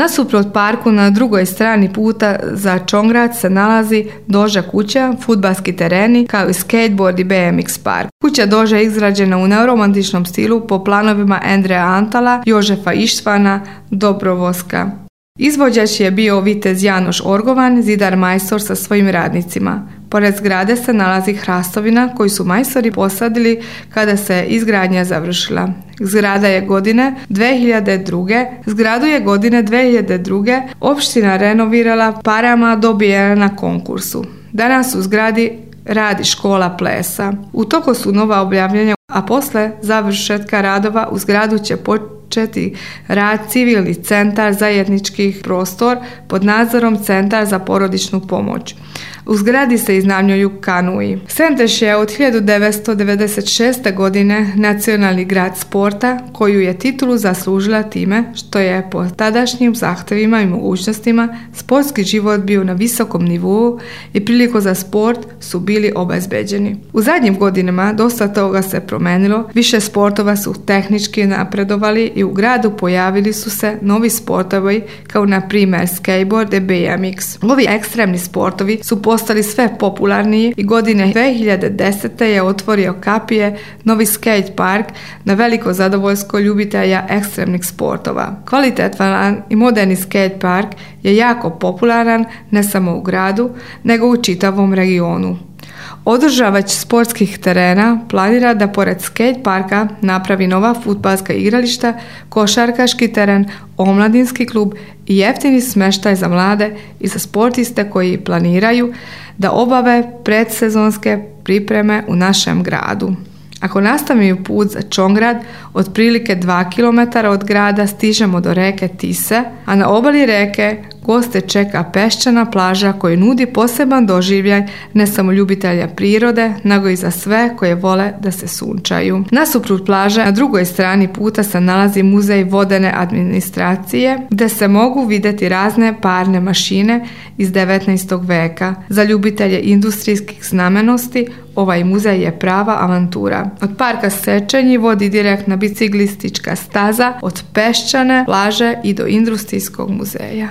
Nasuprot parku na drugoj strani puta za Čongrad se nalazi Doža kuća, fudbalski tereni kao i skateboard i BMX park. Kuća Doža je izgrađena u neoromantičnom stilu po planovima Andreja Antala, Jožefa Ištvana Dobrovoska. Izvođač je bio vitez Janoš Orgovan, zidar majstor sa svojim radnicima. Pored zgrade se nalazi hrastovina koju su majstori posadili kada se izgradnja završila. Zgradu je godine 2002. opština renovirala parama dobijena na konkursu. Danas u zgradi radi škola plesa. U toku su nova objavljanja, a posle završetka radova u zgradu će početi rad civilni centar zajedničkih prostor pod nadzorom Centar za porodičnu pomoć. U zgradi se iznajmljuju kanui. Senteš je od 1996. godine nacionalni grad sporta, koju je titulu zaslužila time što je po tadašnjim zahtevima i mogućnostima sportski život bio na visokom nivou i priliku za sport su bili obezbeđeni. U zadnjim godinama dosta toga se promenilo, više sportova su tehnički napredovali i u gradu pojavili su se novi sportovi kao na primjer skateboard i BMX. Ovi ekstremni sportovi su postali sve popularniji i godine 2010. je otvorio Kapije novi skate park na veliko zadovoljstvo ljubitelja ekstremnih sportova. Kvalitetan i moderni skate park je jako popularan ne samo u gradu, nego u čitavom regionu. Održavač sportskih terena planira da pored skate parka napravi nova fudbalska igrališta, košarkaški teren, omladinski klub i jeftini smještaj za mlade i za sportiste koji planiraju da obave predsezonske pripreme u našem gradu. Ako nastavimo put za Čongrad, otprilike 2 km od grada stižemo do reke Tise, a na obali reke goste čeka peščana plaža koja nudi poseban doživljaj ne samo ljubitelja prirode, nego i za sve koje vole da se sunčaju. Nasuprot plaže, na drugoj strani puta se nalazi muzej vodene administracije, gde se mogu vidjeti razne parne mašine iz 19. veka. Za ljubitelje industrijskih znamenitosti ovaj muzej je prava avantura. Od parka Sečenji vodi direktna biciklistička staza od peščane plaže i do industrijskog muzeja.